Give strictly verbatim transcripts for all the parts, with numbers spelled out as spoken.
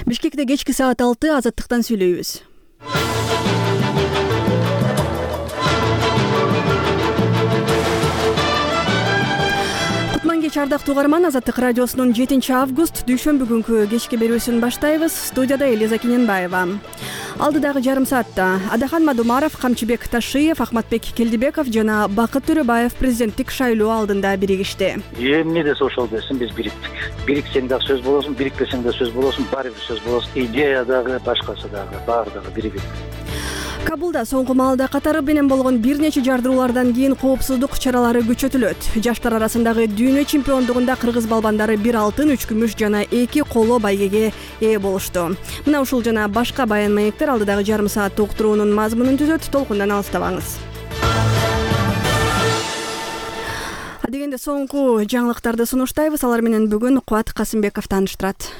Бишкекте кечки саат алты азаттыктан сүйлөйбүз. Кутман кеч ардактуу угарман, Азаттык радиосунун жетинчи август дүйшөмбү күнкү кечки берүүсүн баштайбыз. Студияда Элиза Кененбаева. Алдыдагы жарым саатта Адахан Мадумаров, Камчыбек Ташиев, Ахматбек Келдибеков жана Бакыт Төрөбаев президенттик шайлоо алдында биригишти. Эмне десе ошол десин, биз бириктик. Бириксең дагы сөз болосун, бирикпесең да сөз болосун, баары бир сөз болосун. Идея дагы, башкасы дагы, баары дагы биригип. Кабулда соңку маалда катары менен болгон бир нече жардыруулардан кийин коопсуздук чаралары күчөтүлөт. Жаштар арасындагы дүйнө чемпиондугунда кыргыз балбандары бир алтын, үч күмүш жана эки коло байгеге ээ болушту. Мына ушул жана башка баян маектер алдыдагы жарым саат уктуруунун мазмунун түзөт. Толкундан алыстабаңыз. Дегенде соңку жаңылыктарды сунуштайбыз. Алар менен бүгүн Кубат Касымбеков тааныштырат.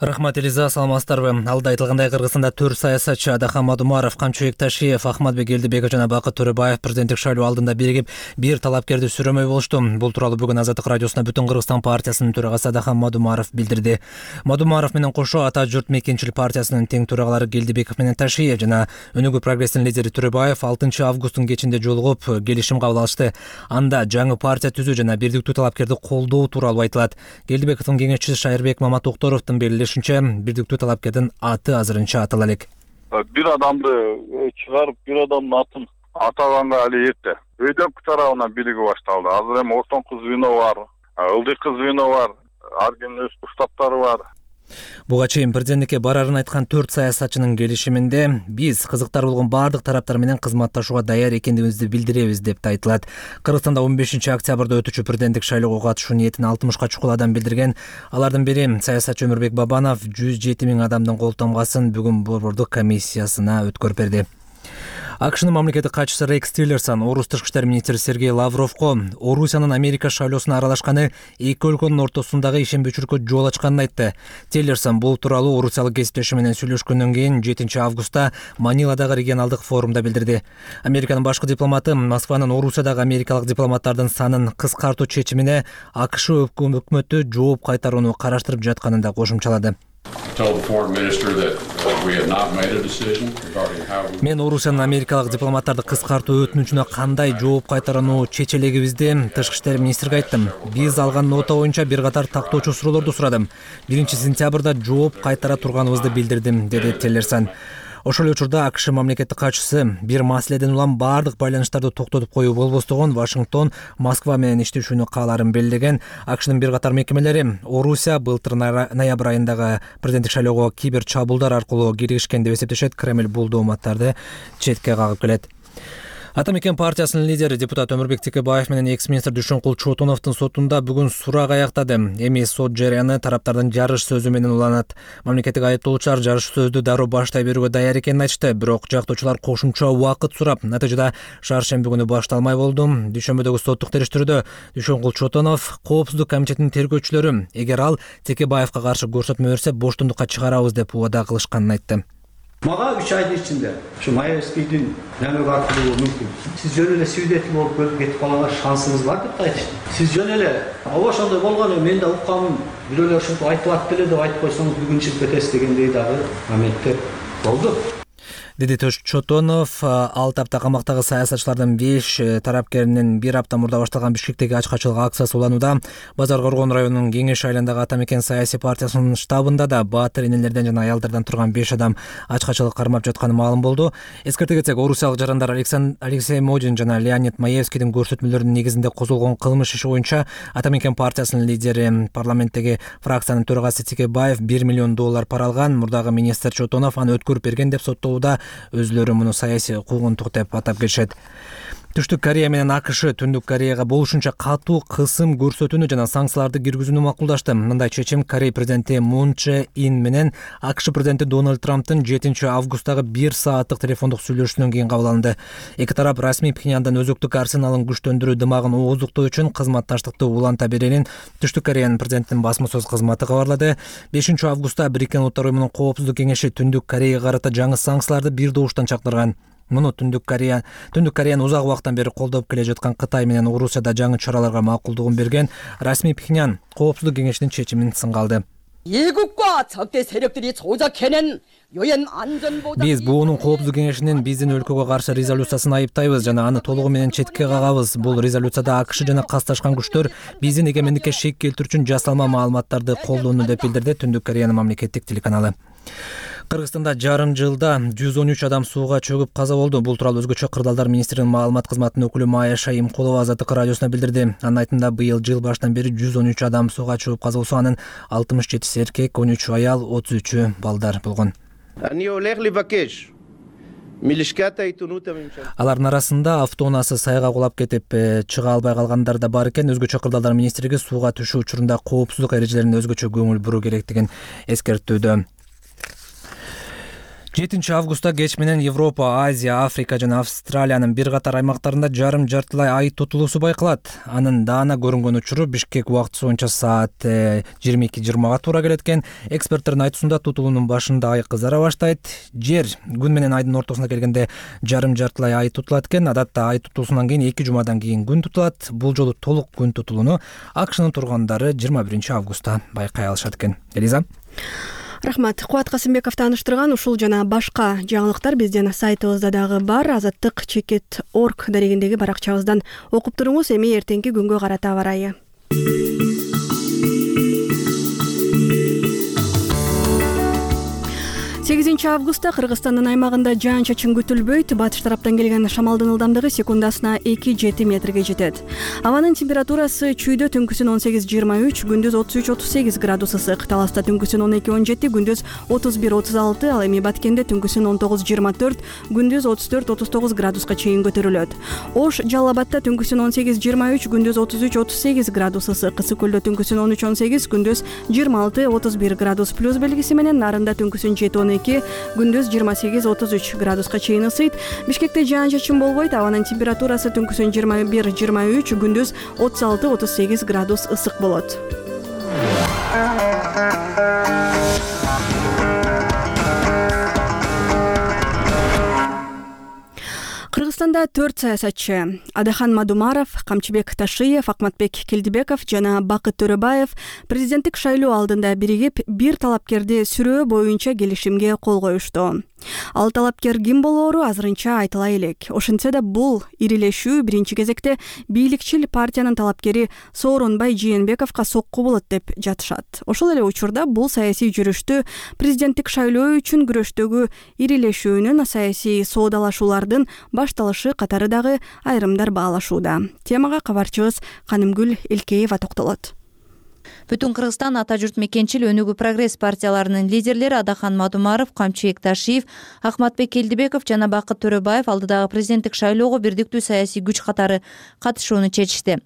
Рахмат, Элиза, саламатсыздарбы? Алда айтылгандай, Кыргызстанда төрт саясатчы Адахан Мадумаров, Камчыбек Ташиев, Ахматбек Келдибеков жана Бакыт Төрөбаев президенттик шайлоо алдында биригип бир талапкерди сүрөмөй болушту. Бул тууралуу бүгүн Азаттык радиосуна Бүтүн Кыргызстан партиясынын төрагасы Адахан Мадумаров билдирди. Мадумаров менен кошо Ата журт мекенчил партиясынын тең төрагалары Келдибеков менен Ташиев жана Өнүгүү прогресстин лидери Төрөбаев алтынчы августтун кечинде жолугуп келишим кабыл алышты. Анда жаңы партия түзүү жана бирдиктүү талапкерди колдоо тууралуу айтылат. Келдибековдун кеңешчиси Шайырбек Маматокторовдун белгилешинче, бирдиктүү талапкердин аты азырынча атала элек. Бир адамды чыгарып, бир адамдын атын атаганга али эрте. Өйдөк тарабынан бириги башталды. Азыр эми ортоңку звено бар, ылдыйкы звено бар, ар кимдин өз штабтары бар. Буга чейин президенттикке барарын айткан төрт саясатчынын келишиминде биз кызыктар болгон баардык тараптар менен кызматташууга даяр экендигибизди билдиребиз деп айтылат. Кыргызстанда он бешинчи октябрда өтүүчү президенттик шайлоого катышуу ниетин алтымышка чукул адам билдирген. Алардын бири саясатчы Өмүрбек Бабанов жүз жети миң адамдын кол тамгасын бүгүн борбордук комиссиясына өткөрүп берди. АКШнын мамлекеттик катчысы Рекс Тиллерсон орус тышкы иштер министри Сергей Лавровго Орусиянын Америка шайлоосуна аралашканы эки өлкөнүн ортосундагы ишенбөөчүлүккө жол ачканын айтты. Тиллерсон бул тууралуу орусиялык кесиптеши менен сүйлөшкөндөн кийин жетинчи августта Маниладагы регионалдык форумда билдирди. Американын башкы дипломаты Москванын Орусиядагы америкалык дипломаттардын санын кыскартуу чечимине АКШ өкмөтү жооп кайтарууну караштырып жатканын да кошумчалады. Мен Орусиянын америкалык дипломаттарды кыскартуу өтүнүчүнө кандай жооп кайтарууну чечелегибизди тышкы иштер министриге айттым. Биз алган нота боюнча бир катар тактоочу суроолорду сурадым. биринчи сентябрда жооп кайтара турганыбызды билдирдим, деди Тиллерсон. Ошол учурда АКШ мамлекеттик катчысы бир маселеден улам баардык байланыштарды токтотуп коюу болбостогон Вашингтон Москва менен иштешүүнү кааларын белгилеген. АКШнын бир катар мекемелери Орусия былтыр ноябрь айындагы президенттик шайлоого кибер чабуулдар аркылуу киргишкен деп эсептешет. Кремль бул дооматтарды четке кагып келет. Ата мекен партиясынын лидери депутат Өмүрбек Текебаев менен экс-министр Дүйшөнкул Чотоновдун сотунда бүгүн сурак аяктады. Эми сот жарыяны тараптардын жарыш сөзү менен уланат. Мамлекеттик айыптоочулар жарыш сөздү дароо баштай берүүгө даяр экенин айтышты, бирок жактоочулар кошумча убакыт сурап, натыйжада шаршемби күнү башталмай болду. Дүйшөмбүдөгү соттук териштирүүдө Дүйшөнкул Чотонов коопсуздук комитетинин тергөөчүлөрү эгер ал Текебаевка каршы көрсөтмө берсе боштондукка чыгарабыз деп убада кылышканын айтты. Мага үч айдын ичинде ушу Маевскийдин намек артылуу мүмкүн. Сиз жөн эле свидетель болуп келип кетип калганга шансыңыз бар деп айтышты. Сиз жөн эле ооба ошондой болгон, мен да укканмын, бирөөлөр ушинтип айтылат деле деп айтып койсоңуз бүгүн чыгып кетесиз дегендей дагы моменттер болду. Деди Чотонов. Алты апта камактагы саясатчылардын беш тарапкеринин бир апта мурда башталган Бишкектеги ачкачылык акциясы уланууда. Базар Коргон районунун Кеңеш айылындагы Ата мекен саясий партиясынын штабында да баатыр энелерден жана аялдардан турган беш адам ачкачылык кармап жатканы маалым болду. Эскерте кетсек, орусиялык жарандар Алексей Модин жана Леонид Маевскийдин көрсөтмөлөрүнүн негизинде козголгон кылмыш иши боюнча Ата мекен партиясынын лидери, парламенттеги фракциянын төрагасы Текебаев бир миллион доллар пара алган. Мурдагы министр Чотонов аны өткөрүп берген деп соттоодо. Өзлөрү муну саясий куугунтук деп атап келишет. Түштүк Корея менен АКШ Түндүк Кореяга болушунча катуу кысым көрсөтүүнү жана санкцияларды киргизүүнү макулдашты. Мындай чечим Корея президенти Мун Чже Ин менен АКШ президенти Дональд Трамптын жетинчи августтагы бир сааттык телефондук сүйлөшүүнөн кийин кабыл алынды. Эки тарап расмий Пхеньяндан өзөктүк арсеналын күчтөндүрүү дымагын ооздуктоо үчүн кызматташтыкты уланта беренин Түштүк Кореянын президентинин басма сөз кызматы кабарлады. бешинчи августта Бириккен Улуттар уюмунун коопсуздук кеңеши Түндүк Кореяга карата жаңы санкцияларды бир добуштан чакырган. Муну Түндүк Корея, Түндүк Кореяны узак убакыттан бери колдоп келе жаткан Кытай менен Орусияда жаңы чараларга макулдугун берген расмий Пхеньян коопсуздук кеңешинин чечимин сынга алды. 애국과 우리가 적대 세력들이 조작해낸 유엔 안전보장 Биз буунун коопсуздук кеңешинин биздин өлкөгө каршы резолюциясын айыптайбыз жана аны толугу менен четке кагабыз. Бул резолюцияда АКШ жана касташкан күчтөр биздин эгемендикке шек келтирүү үчүн жасалма маалыматтарды колдонду деп билдирди Түндүк Кореянын мамлекеттик телеканалы. Кыргызстанда жарым жылда жүз он үч адам сууга чөгүп каза болду. Бул тууралуу өзгөчө Кырдаалдар министринин маалымат кызматынын өкүлү Майя Шайымкулова Азаттык радиосуна билдирди. Анын айтымында быйыл жыл башынан бери жүз он үч адам сууга чөгүп каза болсо, анын алтымыш жетиси эркек, он үчү аял, отуз үчү балдар болгон. Алардын арасында автоунаасы сайга кулап кетип чыга албай калгандар да бар экен. Өзгөчө Кырдаалдар министрлиги сууга түшүү учурунда коопсуздук эрежелерине өзгөчө көңүл буруу керектигин эскерттүүдө. жетинчи августта кеч менен Европа, Азия, Африка жана Австралиянын бир катар аймактарында жарым жартылай ай тутулуусу байкалат. Анын даана көрүнгөн учуру Бишкек убактысы боюнча саат жыйырма эки жыйырмага туура келет экен. Эксперттердин айтуусунда тутулуунун башында ай кызара баштайт. Жер күн менен айдын ортосуна келгенде жарым жартылай ай тутулат экен. Адатта ай тутулуусунан кийин эки жумадан кийин күн тутулат. Бул жолу толук күн тутулууну АКШнын тургундары жыйырма биринчи августта байкай алышат экен. Элиза. Рахмат. Кубат Касымбеков тааныштырган ушул жана башка жаңылыктар биздин сайтыбызда дагы бар. Азаттык чекит точка орг дарегиндеги баракчабыздан окуп туруңуз. Эми эртеңки күнгө карата аба ырайы. сегизинчи августта Кыргызстандын аймагында жаан-чачын күтүлбөйт. Батыш тараптан келген шамалдын ылдамдыгы секундасына эки жети метрге жетет. Абанын температурасы чүйдө түнкүсүн он сегиз жыйырма үч, күндүз отуз үч отуз сегиз градус ысык. Таласта түнкүсүн он эки он жети, күндүз отуз бир отуз алты, ал эми Баткенде түнкүсүн он тогуз жыйырма төрт, күндүз отуз төрт отуз тогуз градуска чейин көтөрүлөт. Ош Жалал Абадта түнкүсүн он сегиз жыйырма үч, күндүз отуз үч отуз сегиз градус ысык. Ысык көлдө түнкүсүн он үч он сегиз, күндүз жыйырма алты отуз бир градус плюс белгиси менен. Нарында түнкүсүн жети он эки, күндүз жыйырма сегиз отуз үч градуска чейин ысыйт. Бишкекте жаан-чачын болбойт. Абанын температурасы түнкүсүн жыйырма бир жыйырма үч, күндүз отуз алты отуз сегиз градус ысык болот. Кыргызстанда төрт саясатчы Адахан Мадумаров, Камчыбек Ташиев, Акматбек Келдибеков жана Бакыт Төрөбаев президенттик шайлоо алдында биригип бир талапкерди сүрөө боюнча келишимге кол коюшту. Ал талапкер ким болоору азырынча айтыла элек. Ошентсе да бул ирилешүү биринчи кезекте бийликчил партиянын талапкери Сооронбай Жээнбековго сокку болот деп жатышат. Ошол эле учурда бул саясий жүрүштү президенттик шайлоо үчүн күрөштөгү ирилешүүнүн, саясий соодалашуулардын башталышы катары дагы айрымдар баалашууда. Темага кабарчыбыз Канымгүл Элкеева токтолот. Бүтүн Кыргызстан ата журт мекенчил өнүгүү прогресс партияларынын лидерлери Адахан Мадумаров, Камчыбек Ташиев, Акматбек Келдибеков жана Бакыт Төрөбаев алдыдагы президенттик шайлоого бирдиктүү саясий күч катары катышууну чечишти.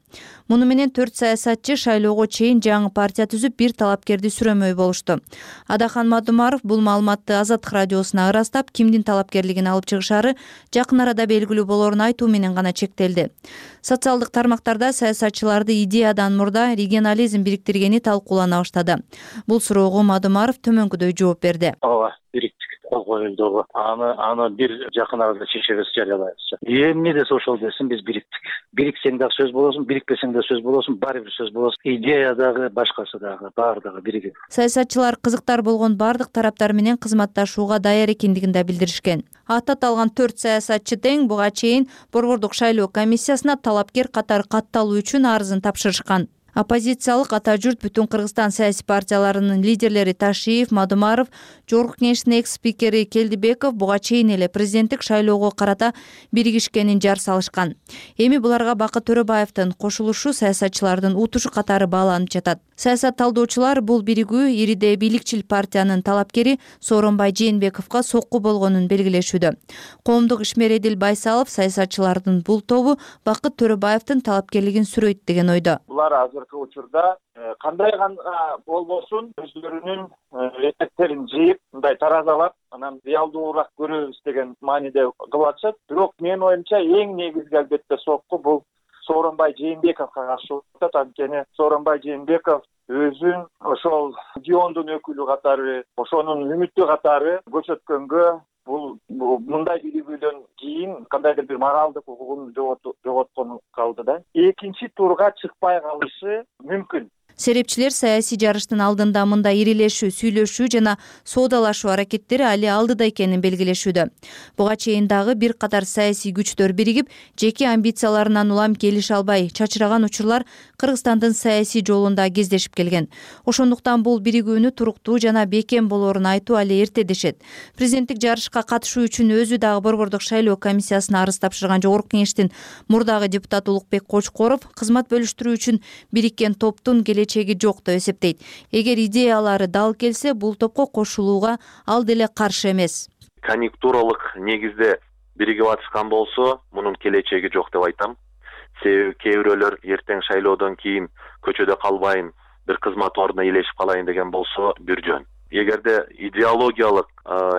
Муну менен төрт саясатчы шайлоого чейин жаңы партия түзүп бир талапкерди сүрөмөй болушту. Адахан Мадумаров бул маалыматты Азаттык радиосуна ырастап, кимдин талапкерлигин алып чыгышары жакын арада белгилүү болоорун айтуу менен гана чектелди. Социалдык тармактарда саясатчыларды идеядан мурда регионализм бириктиргени талкуулана баштады. Бул суроого Мадумаров төмөнкүдөй жооп берди. Ооба, бириктик кол коюлду. Аны аны бир жакын арада чечебиз, жарыялайбыз. Эмне десе ошол десин, биз бириктик. Бириксең дагы сөз болосун, бирикпесең да сөз болосун, баары бир сөз болосун. Идея дагы, башкасы дагы, баардыгы биригип. Саясатчылар кызыктар болгон бардык тараптар менен кызматташууга даяр экендигин да билдиришкен. Аты аталган төрт саясатчы тең буга чейин Борбордук шайлоо комиссиясына талапкер катары катталуу үчүн арызын тапшырышкан. Оппозициялык ата журт Бүтүн Кыргызстан саясий партияларынын лидерлери Ташиев, Мадумаров, Жогорку Кеңештин экс-спикери Келдибеков буга чейин эле президенттик шайлоого карата биригишкенин жар салышкан. Эми буларга Бакыт Төрөбаевдин кошулушу саясатчылардын утушу катары бааланып жатат. Саясат талдоочулар бул биригүү ириде бийликчил партиянын талапкери Сооронбай Жээнбековго сокку болгонун белгилешүүдө. Коомдук ишмер Эдил Байсалов саясатчылардын бул тобу Бакыт Төрөбаевдин талапкерлигин сүрөйт деген ойдо. Булар азыркы учурда кандай гана болбосун өзлөрүнүн этектерин жыйып, мындай таразалап, анан реалдуураак көрөбүз деген мааниде кылып атышат. Бирок менин оюмча эң негизги албетте сокку бул Сооронбай Жээнбековго каршы атат. Анткени Сооронбай Жээнбеков өзүн ошол региондун өкүлү катары, ошонун үмүтү катары көрсөткөнгө бул мындай биригүүдөн кийин кандайдыр бир моралдык укугун жоготкону калды да. Экинчи турга чыкпай калышы мүмкүн. Серепчилер саясий жарыштын алдында мындай ирилешүү, сүйлөшүү жана соодалашуу аракеттери али алдыда экенин белгилешүүдө. Буга чейин дагы бир катар саясий күчтөр биригип, жеке амбицияларынан улам келише албай чачыраган учурлар Кыргызстандын саясий жолунда кездешип келген. Ошондуктан бул биригүүнү туруктуу жана бекем болоорун айтуу али эрте дешет. Президенттик жарышка катышуу үчүн өзү дагы Борбордук шайлоо комиссиясына арыз тапшырган Жогорку Кеңештин мурдагы депутаты Улукбек Кочкоров кызмат бөлүштүрүү үчүн бириккен топтун келечеги жок деп эсептейт. Эгер идеялары дал келсе, бул топко кошулууга ал деле каршы эмес. Конъюнктуралык негизде биригип атышкан болсо, мунун келечеги жок деп айтам. Себеби кээ бирөөлөр эртең шайлоодон кийин көчөдө калбайын, бир кызмат ордуна ээлешип калайын деген болсо бир жөн. Эгерде идеологиялык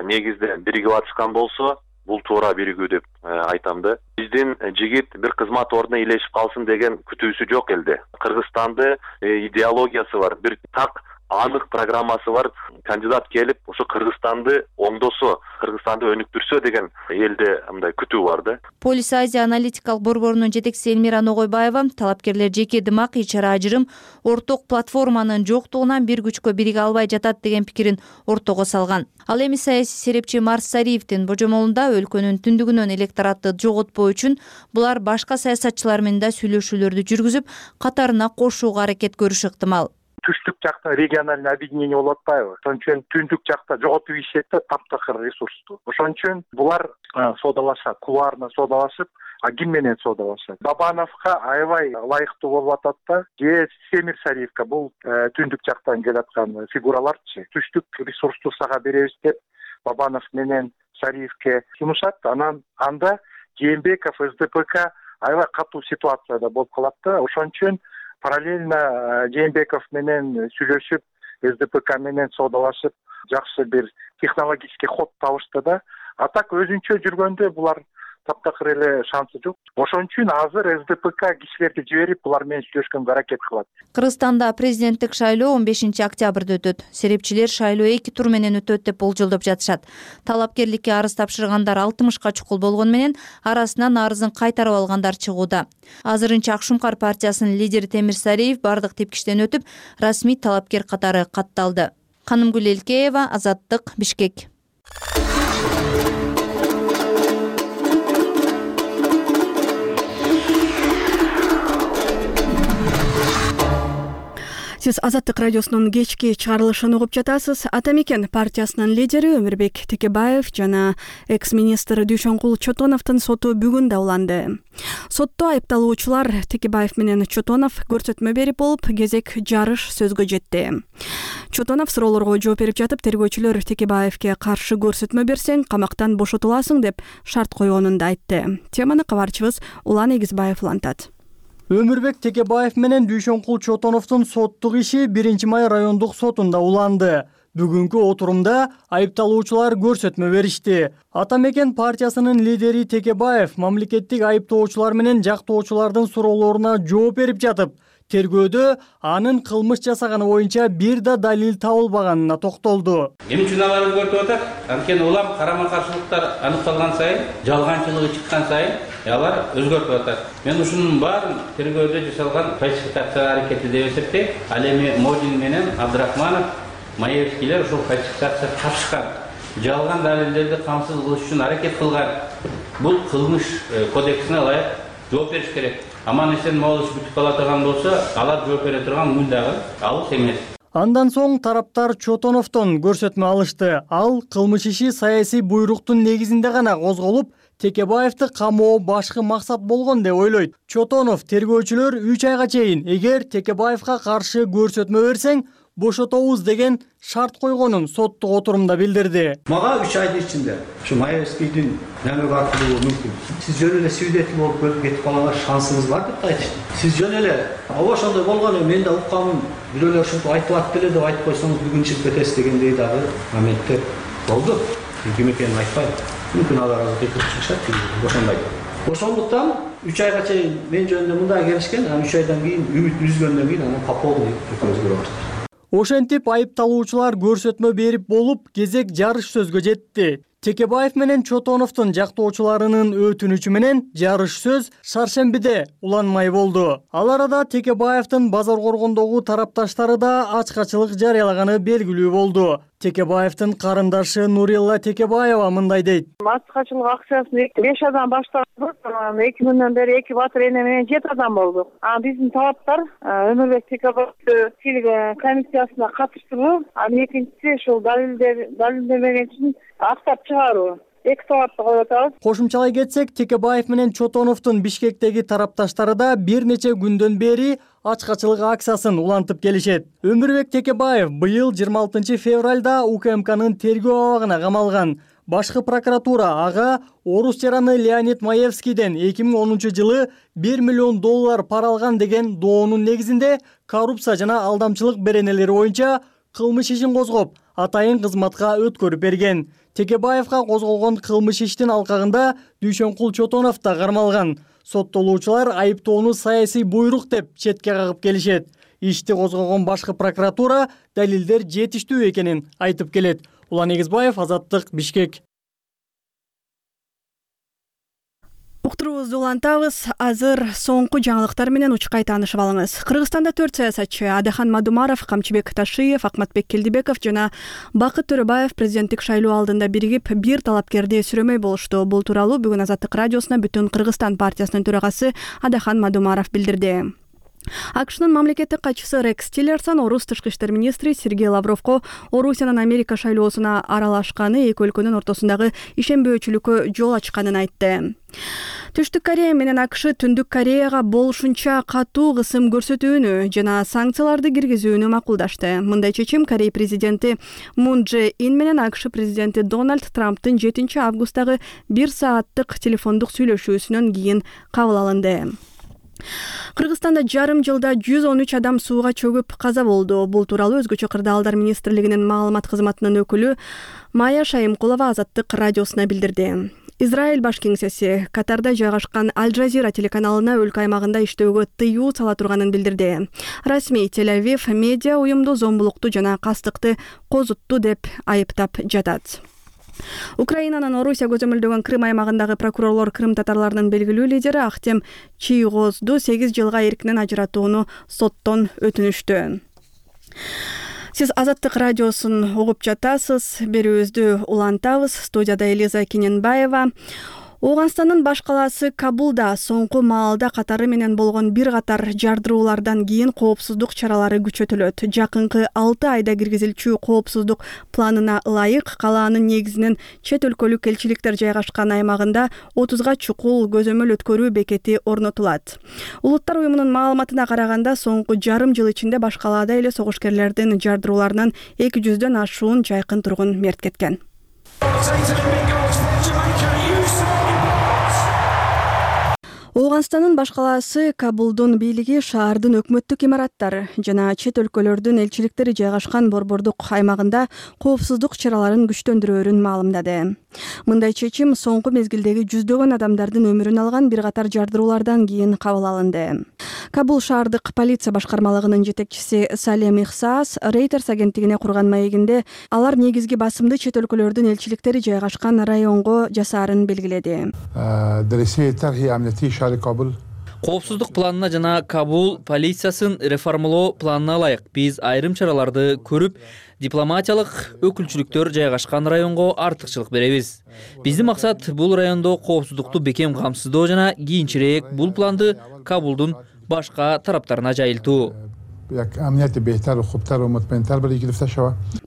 негизде биригип атышкан болсо, бул туура биригүү деп айтам да. Биздин жигит бир кызмат ордуна ээлешип калсын деген күтүүсү жок элде. Кыргызстанда идеологиясы бар, бир так анык программасы бар. Кандидат келип, ошо Кыргызстанды оңдосо, Кыргызстанды өнүктүрсө деген элде мындай күтүү бар да. Полис Азия аналитикалык борборунун жетекчиси Элмира Ногойбаева талапкерлер жеке дымак, ичара ажырым, орток платформанын жоктугунан бир күчкө бириге албай жатат деген пикирин ортого салган. Ал эми саясий серепчи Марс Сариевдин божомолунда өлкөнүн түндүгүнөн электоратты жоготпоо үчүн булар башка саясатчылар менен да сүйлөшүүлөрдү жүргүзүп, катарына кошууга аракет көрүшү ыктымал. Түштүк жакта региональный объединение болуп атпайбы? Ошон үчүн түндүк жакта жоготуп ишет да, таптакыр ресурсту. Ошон үчүн булар соодалашат, кулуарно соодалашып, а ким менен соодалашат? Бабановго аябай ылайыктуу болуп атат да. Же Семир Сариевге бул түндүк жактан келаткан фигураларчы. Түштүк ресурсту сага беребиз деп Бабанов менен Сариевге сунушат. Анан анда Жээнбеков, СДПК аябай катуу ситуацияда болуп калат да. Ошон үчүн параллельно Жээнбеков менен сүйлөшүп, СДПК менен соодалашып, жакшы бир технологический ход табышты да. А так өзүнчө жүргөндө булар таптакыр эле шансы жок. Ошон үчүн азыр СДПК кишилерди жиберип, булар менен сүйлөшкөнгө аракет кылат. Кыргызстанда президенттик шайлоо он бешинчи октябрда өтөт. Серепчилер шайлоо эки тур менен өтөт деп болжолдоп жатышат. Талапкерликке арыз тапшыргандар алтымышка чукул болгону менен арасынан арызын кайтарып алгандар чыгууда. Азырынча Ак Шумкар партиясынын лидери Темир Сариев бардык тепкичтен өтүп, расмий талапкер катары катталды. Канымгүл Элкеева, Азаттык, Бишкек. Сиз Азаттык радиосунун кечки чыгарылышын угуп жатасыз. Ата мекен партиясынын лидери Өмүрбек Текебаев жана экс-министр Дүйшөнкул Чотоновдун соту бүгүн да уланды. Сотто айыпталуучулар Текебаев менен Чотонов көрсөтмө берип болуп, кезек жарыш сөзгө жетти. Чотонов суроолорго жооп берип жатып, тергөөчүлөр Текебаевге каршы көрсөтмө берсең, камактан бошотуласың деп шарт койгонун да айтты. Теманы кабарчыбыз Улан Эгизбаев улантат. Өмүрбек Текебаев менен Дүйшөнкул Чотоновдун соттук иши биринчи май райондук сотунда уланды. Бүгүнкү отурумда айыпталуучулар көрсөтмө беришти. Ата мекен партиясынын лидери Текебаев мамлекеттик айыптоочулар менен жактоочулардын суроолоруна жооп берип жатып, тергөөдө анын кылмыш жасаганы боюнча бир да далил табылбаганына токтолду. Эмне үчүн алар өзгөртүп атат? Анткени улам карама-каршылыктар аныкталган сайын, жалганчылыгы чыккан сайын алар өзгөртүп атат. Мен ушунун баарын тергөөдө жасалган фальсификация аракети деп эсептейм. Ал эми Модин менен Абдрахманов, Маевскийлер ушул фальсификация тапшырган, жалган далилдерди камсыз кылыш үчүн аракет кылган. Бул кылмыш кодексине ылайык жооп бериш керек. Аман эсен могул иш бүтүп кала турган болсо, алар жооп бере турган күн дагы алыс эмес. Андан соң тараптар Чотоновдон көрсөтмө алышты. Ал кылмыш иши саясий буйруктун негизинде гана козголуп, Текебаевди камоо башкы максат болгон деп ойлойт. Чотонов тергөөчүлөр үч айга чейин эгер Текебаевга каршы көрсөтмө берсең, бошотобуз деген шарт койгонун соттук отурумда билдирди. Мага үч айдын ичинде ушу Маевскийдин намек артылуу мүмкүн. Сиз жөн эле свидетель болуп көрүп кетип калганга шансыңыз бар деп айтышты. Сиз жөн эле ооба ошондой болгону мен да укканмын, бирөөлөр ушинтип айтылат деле деп айтып койсоңуз бүгүн чыгып кетесиз дегендей дагы моменттер болду. Ким экенин айтпайм. Мүмкүн алар азыр кетип чыгышат, ошондой. Ошондуктан үч айга чейин мен жөнүндө мындай келишкен, анан үч айдан кийин үмүт үзгөндөн кийин анан по полной өзгөрөт. Ошентип айыпталуучулар көрсөтмө берип болуп, кезек жарыш сөзгө жетти. Текебаев менен Чотоновдун жактоочуларынын өтүнүчү менен жарыш сөз шаршембиде уланмай болду. Ал арада Текебаевдин базар коргондогу тарапташтары да ачкачылык жарыялаганы белгилүү болду. Текебаевдин карындашы Нурилла Текебаева мындай дейт. Ачкачылык акциясын беш адам баштадык. эки күндөн бери эки батыр эне менен жети адам болдук. А биздин талаптар Өмүрбек Текебаевди тилге комиссиясына катыштыруу, анын экинчиси ушул далилдер далилдемеген үчүн актап чыгаруу. Эки талапты коюп атабыз. Кошумчалай кетсек, Текебаев менен Чотоновдун Бишкектеги тарапташтары да бир нече күндөн бери ачкачылык акциясын улантып келишет. Өмүрбек Текебаев быйыл жыйырма алтынчы февралда УКМКнын тергөө абагына камалган. Башкы прокуратура ага орус жараны Леонид Маевскийден эки миң онунчу жылы бир миллион доллар пара алган деген доонун негизинде коррупция жана алдамчылык беренелери боюнча кылмыш ишин козгоп, атайын кызматка өткөрүп берген. Текебаевга козголгон кылмыш иштин алкагында Дүйшөнкул Чотонов да кармалган. Соттолуучулар айыптоону саясий буйрук деп четке кагып келишет. Ишти козгогон башкы прокуратура далилдер жетиштүү экенин айтып келет. Улан Эгизбаев, Азаттык, Бишкек. Уктуруубузду улантабыз. Азыр соңку жаңылыктар менен учкай таанышып алыңыз. Кыргызстанда төрт саясатчы Адахан Мадумаров, Камчыбек Ташиев, Акматбек Келдибеков жана Бакыт Төрөбаев президенттик шайлоо алдында биригип бир талапкерди сүрөмөй болушту. Бул тууралуу бүгүн Азаттык радиосуна Бүтүн Кыргызстан партиясынын төрагасы Адахан Мадумаров билдирди. АКШнын мамлекеттик катчысы Рекс Тиллерсон орус тышкы иштер министри Сергей Лавровго Орусиянын Америка шайлоосуна аралашканы эки өлкөнүн ортосундагы ишенбөөчүлүккө жол ачканын айтты. Түштүк Корея менен АКШ Түндүк Кореяга болушунча катуу кысым көрсөтүүнү жана санкцияларды киргизүүнү макулдашты. Мындай чечим Корея президенти Мун Дже Ин менен АКШ президенти Дональд Трамптын жетинчи августтагы бир сааттык телефондук сүйлөшүүсүнөн кийин кабыл алынды. Кыргызстанда жарым жылда жүз он үч адам сууга чөгүп каза болду. Бул тууралуу Өзгөчө кырдаалдар министрлигинин маалымат кызматынын өкүлү Майя Шайымкулова Азаттык радиосуна билдирди. Израиль баш кеңсеси Катарда жайгашкан Аль Жазира телеканалына өлкө аймагында иштөөгө тыюу сала турганын билдирди. Расмий Тель-Авив медиа уюмду зомбулукту жана кастыкты козутту деп айыптап жатат. Украинанын Орусия көзөмөлдөгөн Крым аймагындагы прокурорлор Крым татарларынын белгилүү лидери Ахтем Чийгозду сегиз жылга эркинен ажыратууну соттон өтүнүштү. Сиз Азаттык радиосун угуп жатасыз. Берүүбүздү улантабыз. Студияда Элиза Кененбаева. Ооганстандын баш калаасы Кабулда соңку маалда катары менен болгон бир катар жардыруулардан кийин коопсуздук чаралары күчөтүлөт. Жакынкы алты айда киргизилчү коопсуздук планына ылайык калаанын негизинен чет өлкөлүк элчиликтер жайгашкан аймагында отузга чукул көзөмөл өткөрүү бекети орнотулат. Улуттар уюмунун маалыматына караганда соңку жарым жыл ичинде баш калаада эле согушкерлердин жардырууларынан эки жүздөн ашуун жайкын тургун мерт кеткен. Ооганстандын баш калаасы Кабулдун бийлиги шаардын өкмөттүк имараттары жана чет өлкөлөрдүн элчиликтери жайгашкан борбордук аймагында коопсуздук чараларын күчтөндүрөөрүн маалымдады. Мындай чечим соңку мезгилдеги жүздөгөн адамдардын өмүрүн алган бир катар жардыруулардан кийин кабыл алынды. Кабул шаардык полиция башкармалыгынын жетекчиси Салем Ихсаас Reuters агенттигине курган маегинде алар негизги басымды чет өлкөлөрдүн элчиликтери жайгашкан районго жасаарын белгиледи. Коопсуздук планына жана Кабул полициясын реформалоо планына ылайык биз айрым чараларды көрүп, дипломатиялык өкүлчүлүктөр жайгашкан районго артыкчылык беребиз. Биздин максат бул райондо коопсуздукту бекем камсыздоо жана кийинчерээк бул планды Кабулдун башка тараптарына жайылтуу.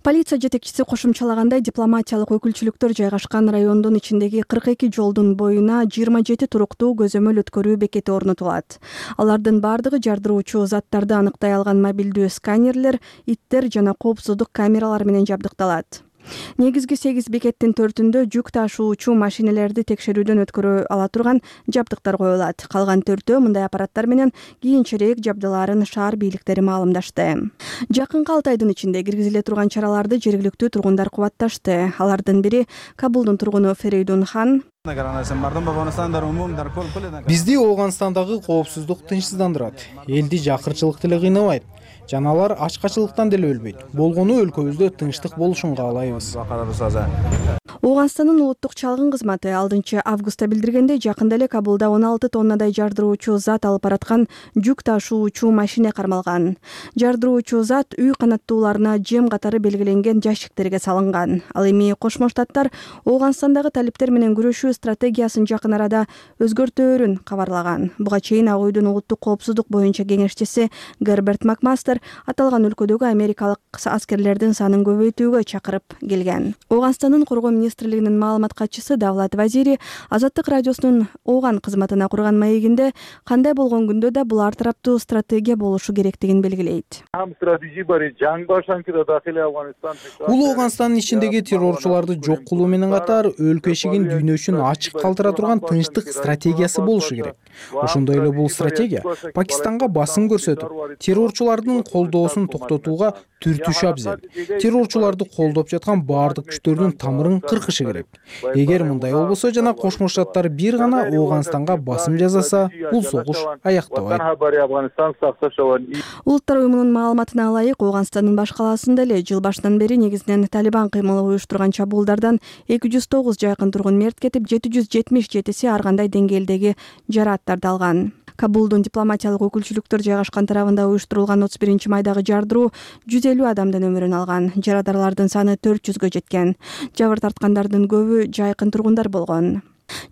Полиция жетекчиси кошумчалагандай, дипломатиялык өкүлчүлүктөр жайгашкан райондун ичиндеги кырк эки жолдун боюна жыйырма жети туруктуу көзөмөл өткөрүү бекети орнотулат. Алардын бардыгы жардыруучу заттарды аныктай алган мобилдүү сканерлер, иттер жана коопсуздук камералар менен жабдыкталат. Негизги сегиз бекеттин төртүндө жүк ташуучу машинелерди текшерүүдөн өткөрө ала турган жабдыктар коюлат. Калган төртөө мындай аппараттар менен кийинчерээк жабдылаарын шаар бийликтери маалымдашты. Жакынкы алты айдын ичинде киргизиле турган чараларды жергиликтүү тургундар кубатташты. Алардын бири Кабулдун тургуну Ферейдун Хан, Бизди Ооганстандагы коопсуздук тынчсыздандырат. Элди жакырчылык деле кыйнабайт. Жана алар ачкачылыктан деле өлбөйт. Болгону өлкөбүздө тынчтык болушун каалайбыз. Ооганстандын улуттук чалгын кызматы алдынчы августта билдиргендей, жакында эле Кабулда он алты тоннадай жардыруучу зат алып бараткан жүк ташуучу машина кармалган. Жардыруучу зат үй канаттууларына жем катары белгиленген жашиктерге салынган. Ал эми Кошмо Штаттар Ооганстандагы талиптер менен күрөшүү стратегиясын жакын арада өзгөртөөрүн кабарлаган. Буга чейин ак үйдүн улуттук коопсуздук боюнча кеңешчиси Герберт Макмастер аталган өлкөдөгү америкалык аскерлердин санын көбөйтүүгө чакырып келген. Ооганстандын коргоо министрлигинин маалымат катчысы Давлат Вазири Азаттык радиосунун Ооган кызматына курган маегинде кандай болгон күндө да бул ар тараптуу стратегия болушу керектигин белгилейт. Бул Ооганстандын ичиндеги террорчуларды жок кылуу менен катар өлкө эшигин дүйнө үчүн ачык калтыра турган тынчтык стратегиясы болушу керек. Ошондой эле бул стратегия Пакистанга басым көрсөтүп, террорчулардын колдоосун токтотууга түртүш абзел. Террорчуларды колдоп жаткан баардык күчтөрдүн тамырын кыркышы керек. Эгер мындай болбосо жана Кошмо Штаттар бир гана Ооганстанга басым жасаса, бул согуш аяктабайт. Улуттар уюмунун маалыматына ылайык, Ооганстандын баш калаасында эле жыл башынан бери негизинен Талибан кыймылы уюштурган чабуулдардан эки жүз тогуз жайкын тургун мерт кетип, жети жүз жетимиш жетиси ар кандай деңгээлдеги жарааттарды алган. Кабулдун дипломатиялык өкүлчүлүктөр жайгашкан тарабында уюштурулган отуз биринчи майдагы жардыруу жүз элүү адамдын өмүрүн алган. Жарадарлардын саны төрт жүзгө жеткен. Жабыр тарткандардын көбү жайкын тургундар болгон.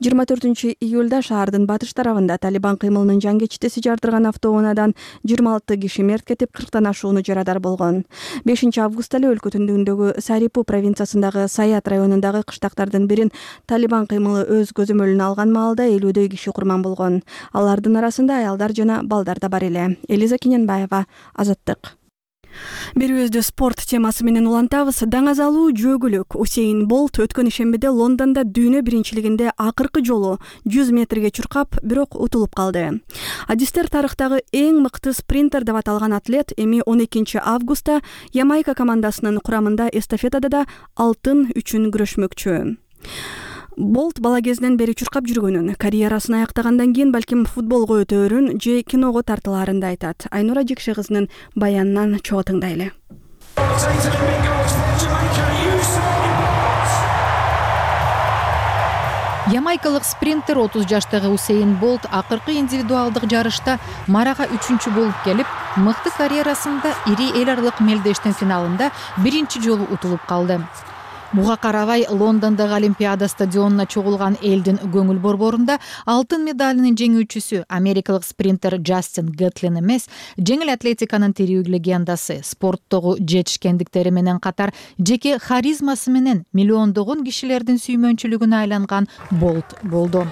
жыйырма төртүнчү июлда шаардын батыш тарабында Талибан кыймылынын жангечтеси жардырган автоунаадан жыйырма алты киши мерт кетип, кырктан ашууну жарадар болгон. бешинчи августта эле өлкө түндүгүндөгү Сарипу провинциясындагы Саят районундагы кыштактардын бирин Талибан кыймылы өз көзөмөлүнө алган маалда элүүдөй киши курман болгон. Алардын арасында аялдар жана балдар да бар эле. Элиза Кененбаева, Азаттык. Берүүбүздү спорт темасы менен улантабыз. Даңазалуу жөөгүлүк Усейн Болт өткөн ишембиде Лондондо дүйнө биринчилигинде акыркы жолу жүз метрге чуркап, бирок утулуп калды. Адистер тарыхтагы эң мыкты спринтер деп аталган атлет эми он экинчи августта Ямайка командасынын курамында эстафетада да алтын үчүн күрөшмөкчү. Болт бала кезинен бери чуркап жүргөнүн, карьерасын аяктагандан кийин балким футболго өтөөрүн же киного тартылаарын да айтат. Айнура Жекше кызынын баянынан чогуу тыңдайлы. Ямайкалык спринтер отуз жаштагы Усейн Болт акыркы индивидуалдык жарышта марага үчүнчү болуп келип, мыкты карьерасында ири эл аралык мелдештин финалында биринчи жолу утулуп калды. Буга карабай Лондондогу Олимпиада стадионуна чогулган элдин көңүл борборунда алтын медалынын жеңүүчүсү америкалык спринтер Джастин Гэтлин эмес, жеңил атлетиканын тирүү легендасы, спорттогу жетишкендиктери менен катар жеке харизмасы менен миллиондогон кишилердин сүймөнчүлүгүнө айланган Болт болду.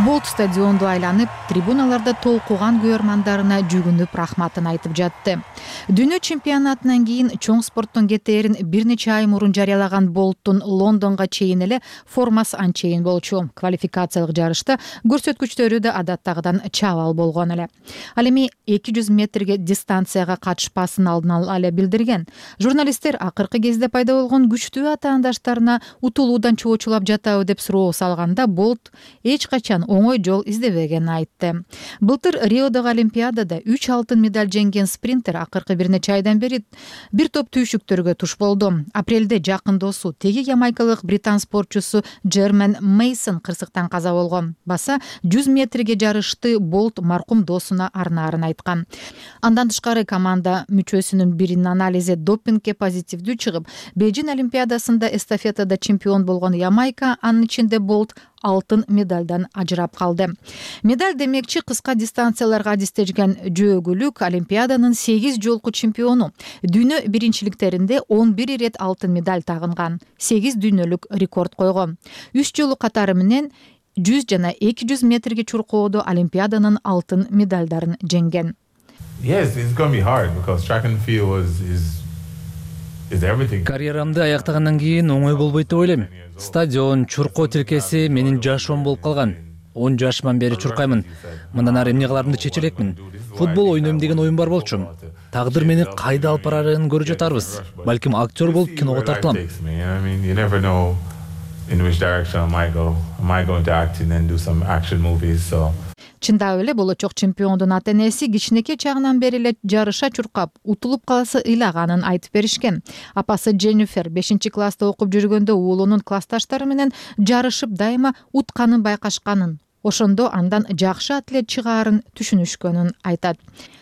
Болт стадионду айланып, трибуналарда толкуган көрөрмандарына жүгүнүп рахматын айтып жатты. Дүйнө чемпионатынан кийин чоң спорттун кетээрин бир нече ай мурун жарыялаган Болттун Лондонго чейин эле формасы анчейин болчу. Квалификациялык жарышта көрсөткүчтөрү да адаттагыдан чабал болгон эле. Ал эми эки жүз метрге дистанцияга катышпасын алдын ала эле билдирген. Журналисттер акыркы кезде пайда болгон күчтүү атаандаштарына утулуудан чоочулап жатабы деп суроо салганда, Болт эч качан оңой жол издебегенин айтты. Былтыр Риодогу Олимпиадада үч алтын медаль жеңген спринтер акыркы бир нече айдан бери бир топ түйшүктөргө туш болду. Апрелде жакын досу, теги ямайкалык британ спортчусу Джермен Мейсон кырсыктан каза болгон. Баса жүз метрге жарышты Болт маркум досуна арнаарын айткан. Андан тышкары команда мүчөсүнүн биринин анализи допингге позитивдүү чыгып, Бейжин Олимпиадасында эстафетада чемпион болгон Ямайка, анын ичинде Болт алтын медальдан ажырап калды. Медаль демекчи кыска дистанцияларга адистешкен жөөгүлүк Олимпиаданын сегиз жолку чемпиону. Дүйнө биринчиликтеринде он бир ирет алтын медаль тагынган, сегиз дүйнөлүк рекорд койгон. үч жолу катары менен жүз жана эки жүз метрге чуркоодо Олимпиаданын алтын медальдарын жеңген. Yes, it's going to be hard because track and field is is is everything. Карьерамды аяктагандан кийин оңой болбойт деп ойлойм. Стадион, чуркоо тилкеси менин жашоом болуп калган. он жашыман бери чуркаймын. Мындан ары эмне кыларымды чече элекмин. Футбол ойнойм деген оюм бар болчу. Тагдыр мени кайда алып барарын көрүп жатарбыз. Балким актер болуп киного тартылам. In which direction I might go. I might go into acting and do some action movies. So. Чындап эле болочок чемпиондун ата энеси кичинекей чагынан бери эле жарыша чуркап, утулуп каласы ыйлаганын айтып беришкен. Апасы Дженнифер бешинчи класста окуп жүргөндө уулунун классташтары менен жарышып дайыма утканын байкашканын, ошондо андан жакшы атлет чыгаарын түшүнүшкөнүн айтат.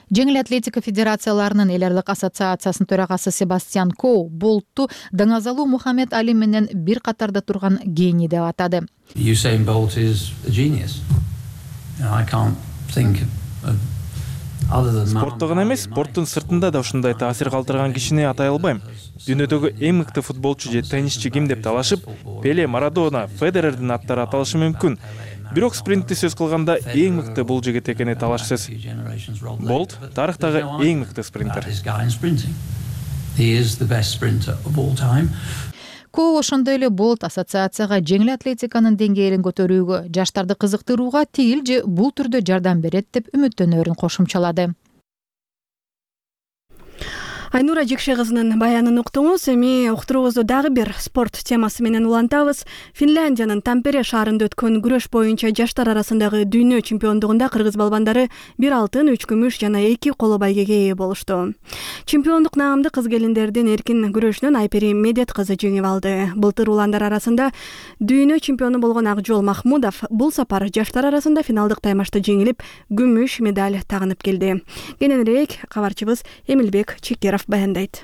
Жеңил атлетика федерацияларынын эл аралык ассоциациясынын төрагасы Себастьян Коу Болтту Даңазалуу Мухаммед Али менен бир катарда турган гений деп атады. Usain Bolt is a genius. I can't think of other than Спортто гана эмес, спорттун сыртында да ушундай таасир калтырган кишини атай албайм. Дүйнөдөгү эң мыкты футболчу же теннисчи ким деп талашып, Пеле, Марадона, Федерердин аттары аталышы мүмкүн. Бирок спринтти сөз кылганда эң мыкты бул жигит экени талашсыз. Болт тарыхтагы эң мыкты спринтер. Коу ошондой эле Болт ассоциацияга жеңил атлетиканын деңгээлин көтөрүүгө, жаштарды кызыктырууга тигил же бул түрдө жардам берет деп үмүттөнөрүн кошумчалады. Айнура Жекше кызынын баянын уктуңуз. Эми уктуруубузду дагы бир спорт темасы менен улантабыз. Финляндиянын Тампере шаарында өткөн күрөш боюнча жаштар арасындагы дүйнө чемпиондугунда кыргыз балбандары бир алтын, үч күмүш жана эки коло байгеге ээ болушту. Чемпиондук наамды кыз келиндердин эркин күрөшүнөн Айпери Медет кызы жеңип алды. Былтыр уландар арасында дүйнө чемпиону болгон Акжол Махмудов бул сапар жаштар арасында финалдык таймашта жеңилип, күмүш медаль тагынып келди. Кененирээк кабарчыбыз Эмилбек Чекеров баяндайт.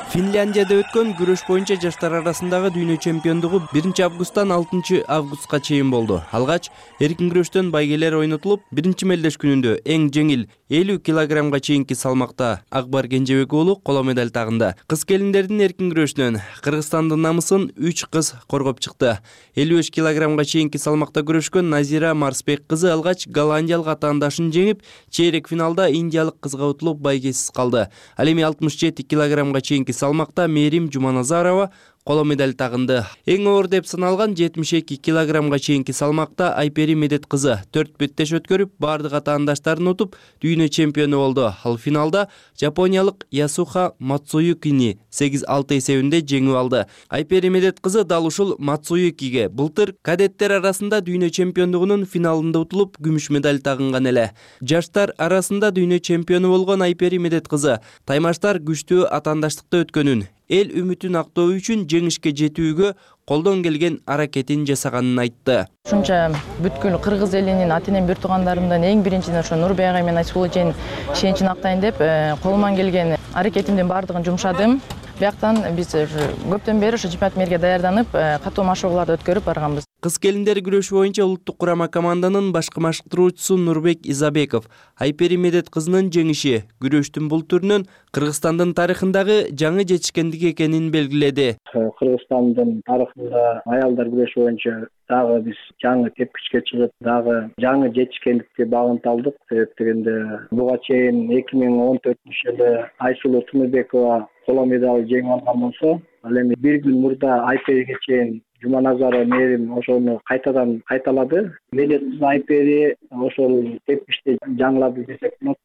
Финляндияда өткөн күрөш боюнча жаштар арасындагы дүйнө чемпиондугу биринчи августтан алтынчы августка чейин болду. Алгач эркин күрөштөн байгелер ойнотулуп, биринчи мелдеш күнүндө эң жеңил элүү килограммга чейинки салмакта Акбар Кенжебек уулу коло медаль тагынды. Кыз келиндердин эркин күрөшүнөн Кыргызстандын намысын үч кыз коргоп чыкты. элүү беш килограммга чейинки салмакта күрөшкөн Назира Марсбек кызы алгач голландиялык атаандашын жеңип, чейрек финалда индиялык кызга утулуп байгесиз калды. Ал эми алтымыш жети килограммга чейинки салмакта Мерим Жуманазарова коло медаль тагынды. Эң оор деп саналган жетимиш эки килограммга чейинки салмакта Айпери Медет кызы төрт беттеш өткөрүп, бардык атаандаштарын утуп, дүйнө чемпиону болду. Ал финалда жапониялык Ясуха Мацуюкини сегиз алты эсебинде жеңип алды. Айпери Медет кызы дал ушул Мацуюкиге былтыр кадеттер арасында дүйнө чемпиондугунун финалында утулуп, күмүш медаль тагынган эле. Жаштар арасында дүйнө чемпиону болгон Айпери Медет кызы таймаштар күчтүү атаандаштыкта өткөнүн, эл үмүтүн актоо үчүн жеңишке жетүүгө колдон келген аракетин жасаганын айтты. Ушунча бүткүл кыргыз элинин ата энем, бир туугандарымдын эң биринчиден ошо Нурбек агай менен Айсулуу эженин ишеничин актайын деп колуман келген аракетимдин баардыгын жумшадым. Бияктан биз көптөн бери ошо чемпионат мээрге даярданып, катуу машыгууларды өткөрүп барганбыз. Кыз келиндер күрөшү боюнча улуттук курама команданын башкы машыктыруучусу Нурбек Изабеков Айпери Медет кызынын жеңиши күрөштүн бул түрүнөн Кыргызстандын тарыхындагы жаңы жетишкендик экенин белгиледи. Кыргызстандын тарыхында аялдар күрөшү боюнча дагы биз жаңы тепкичке чыгып, дагы жаңы жетишкендикке багынта алдык. Себеп дегенде буга чейин эки миң он төртүнчү жылы Айсулуу Тумурбекова коло медаль жеңип алган болсо, ал эми бир күн мурда Айпериге чейин Жуманазарова Мерим ошону кайтадан кайталады. Медет Айпери ошол тепкичте жаңылады десек болот.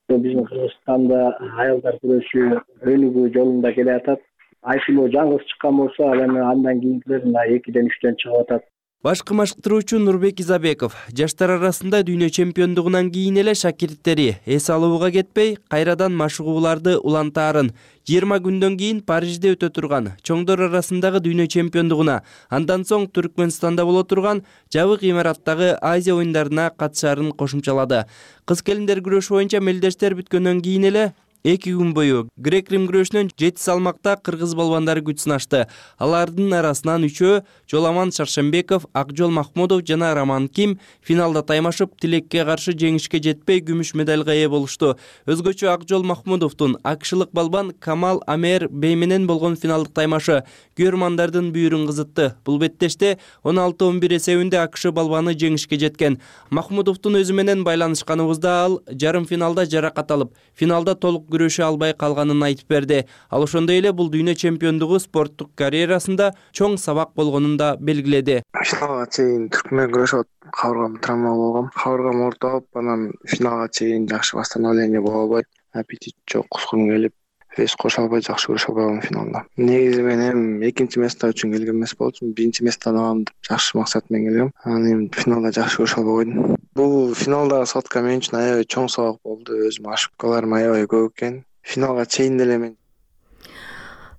Биздин Кыргызстанда аялдар күрөшү өнүгүү жолунда келе атат. Айсулуу жалгыз чыккан болсо, ал эми андан кийинкилер мына экиден үчтөн чыгып атат. Башкы машыктыруучу Нурбек Изабеков жаштар арасында дүйнө чемпиондугунан кийин эле шакирттери эс алууга кетпей, кайрадан машыгууларды улантаарын, жыйырма күндөн кийин Парижде өтө турган чоңдор арасындагы дүйнө чемпиондугуна, андан соң Түркмөнстанда боло турган жабык имараттагы Азия оюндарына катышаарын кошумчалады. Кыз келиндер күрөшү боюнча мелдештер бүткөндөн кийин эле эки күн бою грек-рим күрөшүнөн жети салмакта кыргыз балбандары күч сынашты. Алардын арасынан үчөө Жоламан Шаршембеков, Акжол Махмудов жана Роман Ким финалда таймашып, тилекке каршы жеңишке жетпей күмүш медальга ээ болушту. Өзгөчө Акжол Махмудовдун акшылык балбан Камал Амер Бей менен болгон финалдык таймашы көрмандардын бүйүрүн кызытты. Бул беттеште он алты он бир эсебинде акш балбаны жеңишке жеткен. Махмудовдун өзү менен байланышканыбызда ал жарым финалда жаракат алып, финалда толук күрөшө албай калганын айтып берди. Ал ошондой эле бул дүйнө чемпиондугу спорттук карьерасында чоң сабак болгонун да белгиледи. Финалга чейин түркмен күрөшүп кабыргам травма болгон. Кабыргам ортоп, анан финалга чейин жакшы восстановление боло албай, аппетит жок, кускум келип, вес кошо албай жакшы күрөшө албай калдым финалда. Негизи мен эми экинчи место үчүн келген эмес болчумун, биринчи местону алам деп жакшы максат менен келгем. Анан эми финалда жакшы күрөшө албай койдум. Бул финалдагы сотка мен үчүн аябай чоң сабак болду. Өзүм ошибкаларым аябай көп экен. Финалга чейин деле мен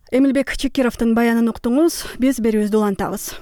Эмилбек Чекировдун баянын уктуңуз. Биз берүүбүздү улантабыз.